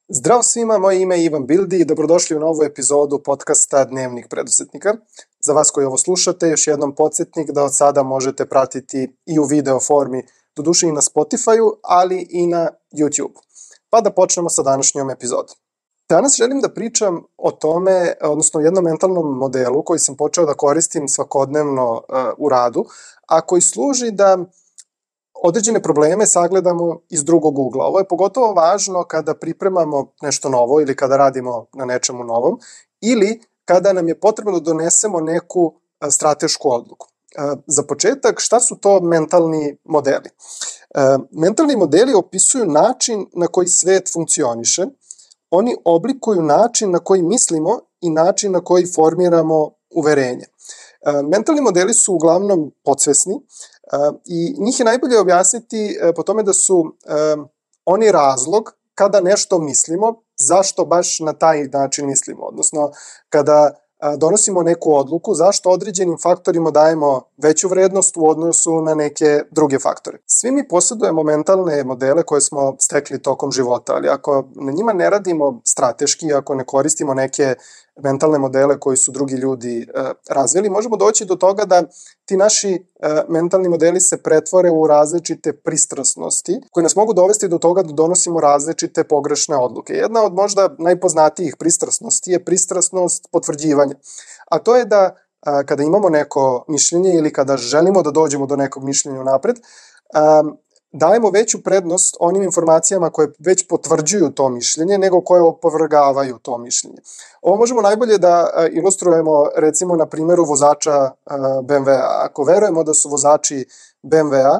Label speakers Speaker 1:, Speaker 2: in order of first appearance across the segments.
Speaker 1: Zdravo svima, moje ime je Ivan Bildi i dobrodošli u novu epizodu podcasta Dnevnik preduzetnika. Za vas koji ovo slušate, još jednom podsjetnik da od sada možete pratiti i u video formi, doduše i na Spotify-u, ali i na YouTube. Pa da počnemo sa današnjom epizodom. Danas želim da pričam o tome, odnosno o jednom mentalnom modelu koji sam počeo da koristim svakodnevno u radu, a koji služi da određene probleme sagledamo iz drugog ugla. Ovo je pogotovo važno kada pripremamo nešto novo ili kada radimo na nečemu novom ili kada nam je potrebno da donesemo neku stratešku odluku. Za početak, šta su to mentalni modeli? Mentalni modeli opisuju način na koji svet funkcioniše. Oni oblikuju način na koji mislimo i način na koji formiramo uverenje. Mentalni modeli su uglavnom podsvesni i njih je najbolje objasniti po tome da su oni razlog kada nešto mislimo, zašto baš na taj način mislimo, odnosno kada donosimo neku odluku, zašto određenim faktorima dajemo veću vrednost u odnosu na neke druge faktore. Svi mi posjedujemo mentalne modele koje smo stekli tokom života, ali ako na njima ne radimo strateški, ako ne koristimo neke mentalne modele koji su drugi ljudi razvili, možemo doći do toga da ti naši mentalni modeli se pretvore u različite pristrasnosti koje nas mogu dovesti do toga da donosimo različite pogrešne odluke. Jedna od možda najpoznatijih pristrasnosti je pristrasnost potvrđivanja. A to je da kada imamo neko mišljenje ili kada želimo da dođemo do nekog mišljenja napred, dajemo veću prednost onim informacijama koje već potvrđuju to mišljenje nego koje opovrgavaju to mišljenje. Ovo možemo najbolje da ilustrujemo recimo na primjeru vozača BMW-a. Ako verujemo da su vozači BMW-a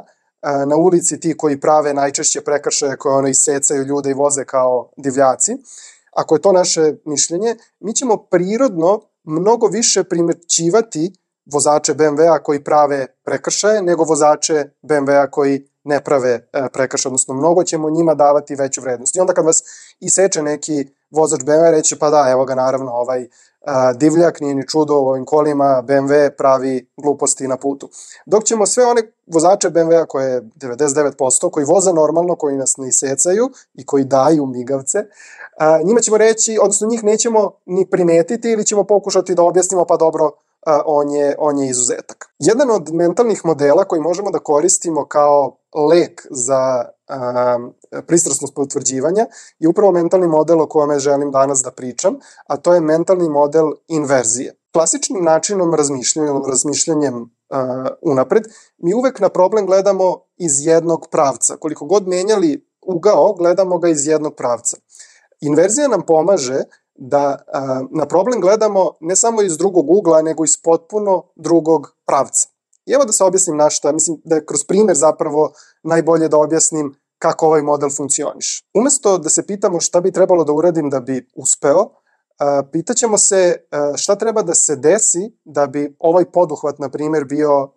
Speaker 1: na ulici ti koji prave najčešće prekršaje koje isecaju ljude i voze kao divljaci, ako je to naše mišljenje, mi ćemo prirodno mnogo više primećivati vozače BMW-a koji prave prekršaje nego vozače BMW-a koji ne prave prekršaje, odnosno mnogo ćemo njima davati veću vrednost. I onda kad vas iseče neki vozač BMW, reće pa da, evo ga naravno ovaj divljak, nije ni čudo u ovim kolima, BMW pravi gluposti na putu. Dok ćemo sve one vozače BMW-a koje je 99%, koji voze normalno, koji nas ne isecaju i koji daju migavce, njima ćemo reći, odnosno njih nećemo ni primetiti ili ćemo pokušati da objasnimo pa dobro, on je izuzetak. Jedan od mentalnih modela koji možemo da koristimo kao lek za pristrasnost potvrđivanja je upravo mentalni model o kome želim danas da pričam, a to je mentalni model inverzije. Klasičnim načinom razmišljanjem unapred, mi uvek na problem gledamo iz jednog pravca. Koliko god menjali ugao, gledamo ga iz jednog pravca. Inverzija nam pomaže da na problem gledamo ne samo iz drugog ugla, nego iz potpuno drugog pravca. I evo da se objasnim na šta, mislim da je kroz primjer zapravo najbolje da objasnim kako ovaj model funkcioniše. Umesto da se pitamo šta bi trebalo da uradim da bi uspeo, pitaćemo se šta treba da se desi da bi ovaj poduhvat, na primjer, bio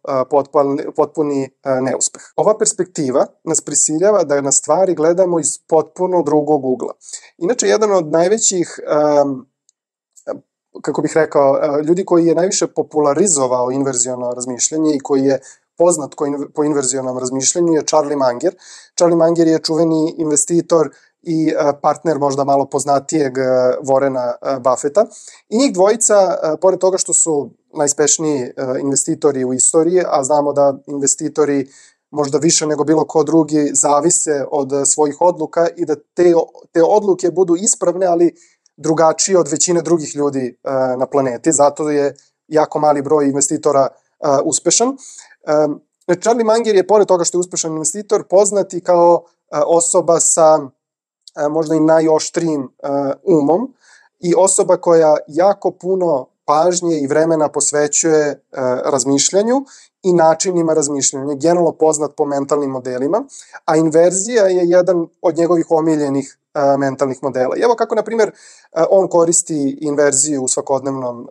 Speaker 1: potpuni neuspeh. Ova perspektiva nas prisiljava da na stvari gledamo iz potpuno drugog ugla. Inače, jedan od najvećih, kako bih rekao, ljudi koji je najviše popularizovao inverziono razmišljanje i koji je poznat po inverzionom razmišljanju je Charlie Munger. Charlie Munger je čuveni investitor i partner možda malo poznatijeg Warrena Buffetta. I njih dvojica, pored toga što su najspešniji investitori u istoriji, a znamo da investitori možda više nego bilo ko drugi zavise od svojih odluka i da te odluke budu ispravne, ali drugačije od većine drugih ljudi na planeti. Zato je jako mali broj investitora uspešan. Charlie Munger je, pored toga što je uspešan investitor, poznati kao osoba sa možda i najoštrijim umom i osoba koja jako puno pažnje i vremena posvećuje razmišljanju i načinima razmišljanja, generalno poznat po mentalnim modelima, a inverzija je jedan od njegovih omiljenih mentalnih modela. I evo kako, na primjer, on koristi inverziju u svakodnevnom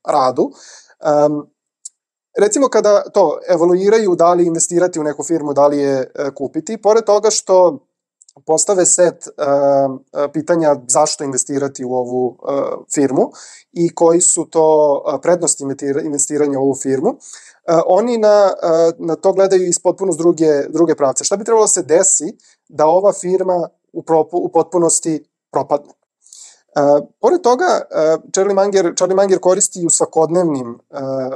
Speaker 1: radu. Recimo kada to evaluiraju da li investirati u neku firmu, da li je kupiti, pored toga što postave set pitanja zašto investirati u ovu firmu i koji su to prednosti investiranja u ovu firmu, oni na to gledaju iz potpuno druge pravce. Šta bi trebalo se desi da ova firma u potpunosti propadne. Pored toga, Charlie Munger koristi i u svakodnevnim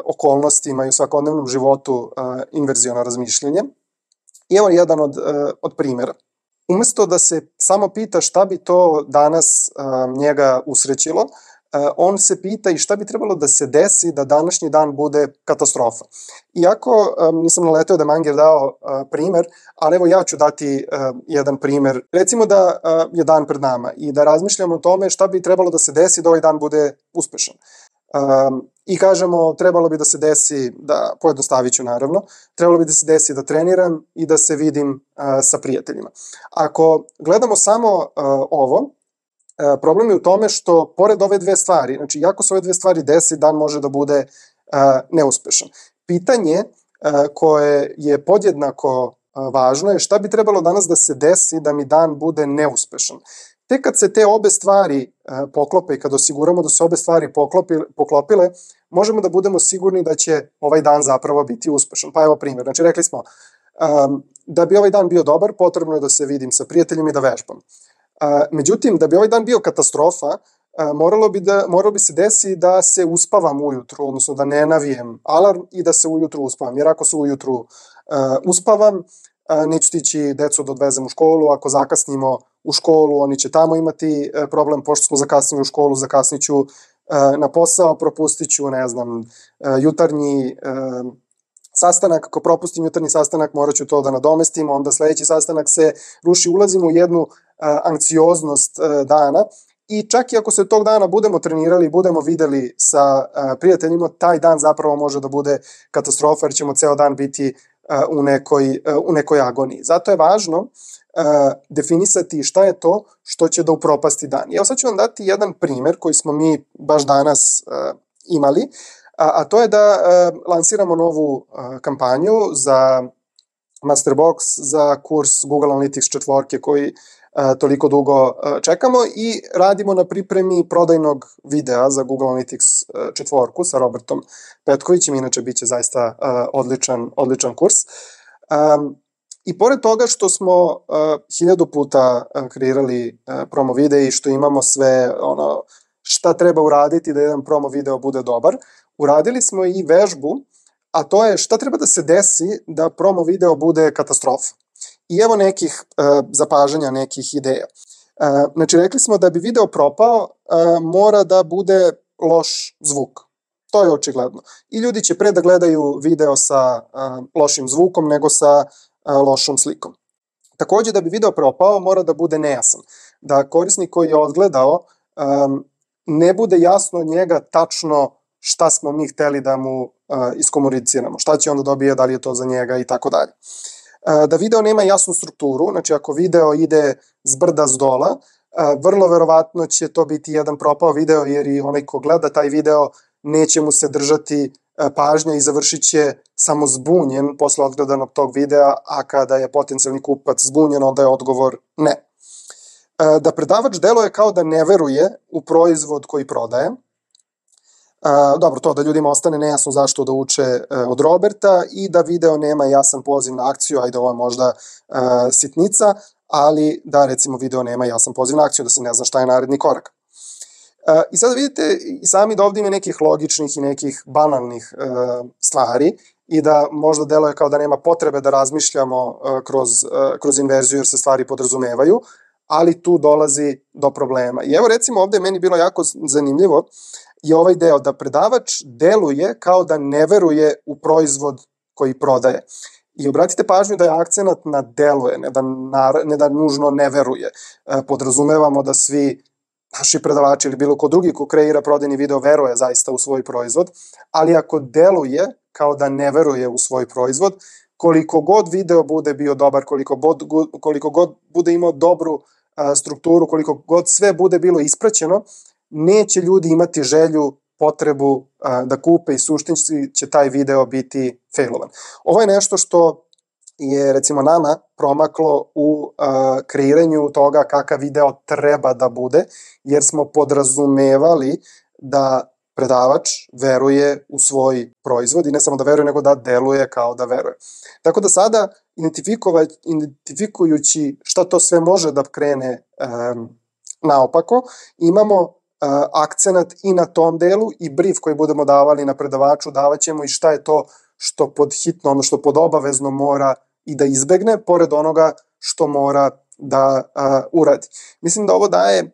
Speaker 1: okolnostima i u svakodnevnom životu inverziono razmišljanje. I evo jedan od primjera. Umesto da se samo pita šta bi to danas njega usrećilo, on se pita i šta bi trebalo da se desi da današnji dan bude katastrofa. Iako nisam naleteo da je Munger dao primer, ali evo ja ću dati jedan primer. Recimo da je dan pred nama i da razmišljamo o tome šta bi trebalo da se desi da ovaj dan bude uspešan. I kažemo, trebalo bi da se desi, da pojednostavit ću naravno, trebalo bi da se desi da treniram i da se vidim sa prijateljima. Ako gledamo samo ovo, problem je u tome što pored ove dve stvari, znači jako se ove dve stvari desi, dan može da bude neuspešan. Pitanje koje je podjednako važno je šta bi trebalo danas da se desi da mi dan bude neuspešan. Tek kad se te obe stvari poklope i kad osiguramo da se obe stvari poklopile, možemo da budemo sigurni da će ovaj dan zapravo biti uspešan. Pa evo primjer, znači rekli smo, da bi ovaj dan bio dobar, potrebno je da se vidim sa prijateljima i da vežbam. Međutim, da bi ovaj dan bio katastrofa, moralo bi se desi da se uspavam ujutru, odnosno da ne navijem alarm i da se ujutru uspavam. Jer ako se ujutru uspavam, neću stići decu da odvezem u školu, ako zakasnimo u školu, oni će tamo imati problem, pošto smo zakasnili u školu, zakasniću na posao, propustit ću, jutarnji sastanak, ako propustim jutarnji sastanak, morat ću to da nadomestim, onda sledeći sastanak se ruši, ulazimo u jednu anksioznost dana i čak i ako se tog dana budemo trenirali, budemo videli sa prijateljima, taj dan zapravo može da bude katastrofa jer ćemo ceo dan biti u nekoj agoniji. Zato je važno definisati šta je to što će da upropasti dan. Evo sad ću vam dati jedan primer koji smo mi baš danas imali, a to je da lansiramo novu kampanju za Masterbox, za kurs Google Analytics 4 koji toliko dugo čekamo i radimo na pripremi prodajnog videa za Google Analytics 4 sa Robertom Petkovićem, inače bit će zaista odličan kurs. I pored toga što smo 1000 puta kreirali promo videe i što imamo sve šta treba uraditi da jedan promo video bude dobar, uradili smo i vežbu, a to je šta treba da se desi da promo video bude katastrofa. I evo nekih zapažanja, nekih ideja. Znači, rekli smo da bi video propao, mora da bude loš zvuk. To je očigledno. I ljudi će pre da gledaju video sa lošim zvukom nego sa lošom slikom. Takođe, da bi video propao, mora da bude nejasan. Da korisnik koji je odgledao ne bude jasno od njega tačno šta smo mi hteli da mu iskomuniciramo, šta će onda dobije, da li je to za njega i tako dalje. Da video nema jasnu strukturu, znači ako video ide s brda s dola, vrlo verovatno će to biti jedan propao video jer i onaj ko gleda taj video neće mu se držati pažnja i završit će samo zbunjen posle odgledanog tog videa, a kada je potencijalni kupac zbunjen, onda je odgovor ne. Da predavač deluje kao da ne veruje u proizvod koji prodaje. Dobro, to da ljudima ostane nejasno zašto da uče od Roberta i da video nema jasan poziv na akciju, ajde ovo je možda sitnica, ali da recimo video nema jasan poziv na akciju, da se ne zna šta je naredni korak. I sada vidite i sami da ovdje ima nekih logičnih i nekih banalnih stvari i da možda deluje kao da nema potrebe da razmišljamo kroz inverziju jer se stvari podrazumevaju, ali tu dolazi do problema. I evo recimo ovdje je meni bilo jako zanimljivo je ovaj deo da predavač deluje kao da ne veruje u proizvod koji prodaje. I obratite pažnju da je akcenat na deluje, ne da nužno ne veruje. Podrazumevamo da svi naši predavači ili bilo ko drugi ko kreira prodajni video veruje zaista u svoj proizvod, ali ako deluje kao da ne veruje u svoj proizvod, koliko god video bude bio dobar, koliko god bude imao dobru strukturu, koliko god sve bude bilo ispraćeno, neće ljudi imati želju, potrebu da kupe i suštinski će taj video biti failovan. Ovo je nešto što je recimo nama promaklo u kreiranju toga kakav video treba da bude, jer smo podrazumevali da predavač veruje u svoj proizvod i ne samo da veruje, nego da deluje kao da veruje. Tako da sada, identifikujući šta to sve može da krene naopako, imamo akcenat i na tom delu i brief koji budemo davali na predavaču, davat ćemo i šta je to što pod hitno, ono što pod obavezno mora i da izbegne, pored onoga što mora da uradi. Mislim da ovo daje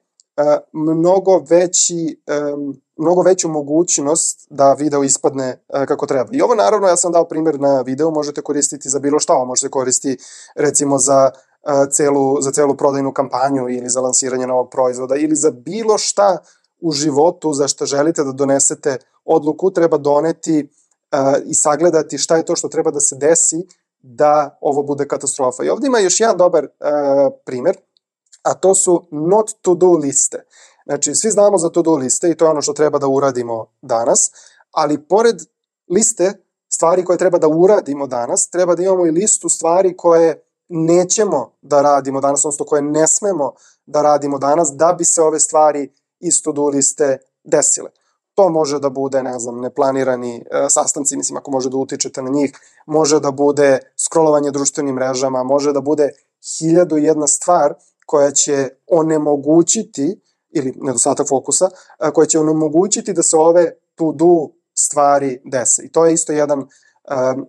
Speaker 1: mnogo veću mogućnost da video ispadne kako treba. I ovo naravno, ja sam dao primjer na video, možete koristiti za bilo šta, možete koristiti recimo za celu prodajnu kampanju ili za lansiranje novog proizvoda ili za bilo šta u životu za što želite da donesete odluku, treba doneti i sagledati šta je to što treba da se desi da ovo bude katastrofa. I ovdje ima još jedan dobar primjer, a to su not to do liste. Znači, svi znamo za to do liste i to je ono što treba da uradimo danas, ali pored liste stvari koje treba da uradimo danas, treba da imamo i listu stvari koje nećemo da radimo danas, odnosno koje ne smemo da radimo danas, da bi se ove stvari iz to do liste desile. To može da bude, ne znam, neplanirani sastanci, mislim, ako može da utičete na njih, može da bude scrollovanje društvenim mrežama, može da bude 1001 stvar koja će onemogućiti, ili nedostatak fokusa, koja će onemogućiti da se ove to do stvari dese. I to je isto jedan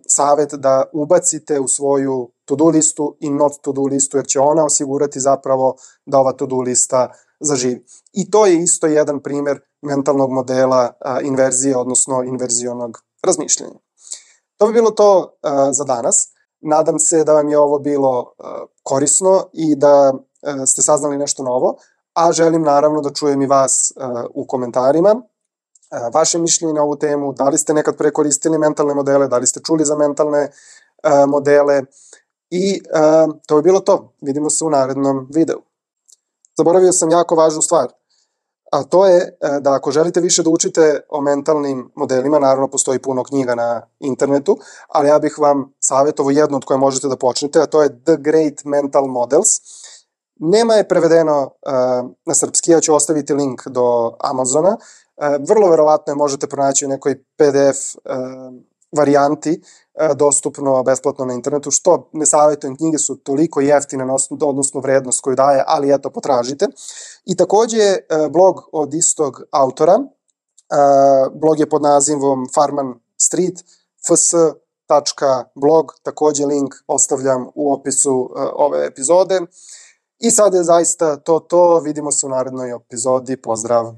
Speaker 1: savjet da ubacite u svoju to do listu i not to do listu, jer će ona osigurati zapravo da ova to do lista zaživi. I to je isto jedan primjer mentalnog modela inverzije, odnosno inverzionog razmišljanja. To bi bilo to za danas. Nadam se da vam je ovo bilo korisno i da ste saznali nešto novo, a želim naravno da čujem i vas u komentarima. Vaše mišljenje na ovu temu, da li ste nekad prekoristili mentalne modele, da li ste čuli za mentalne modele i to bi bilo to. Vidimo se u narednom videu. Zaboravio sam jako važnu stvar, a to je da ako želite više da učite o mentalnim modelima, naravno postoji puno knjiga na internetu, ali ja bih vam savjetovao jednu od koje možete da počnete, a to je The Great Mental Models. Nema je prevedeno na srpski, ja ću ostaviti link do Amazona. Vrlo verovatno je možete pronaći u nekoj PDF varijanti, dostupno besplatno na internetu, što ne savjetujem, knjige su toliko jeftine na odnosnu vrednost koju daje, ali eto, potražite. I takođe je blog od istog autora, blog je pod nazivom Farman Street, fs.blog, takođe link ostavljam u opisu ove epizode. I sad je zaista to, vidimo se u narednoj epizodi, pozdrav!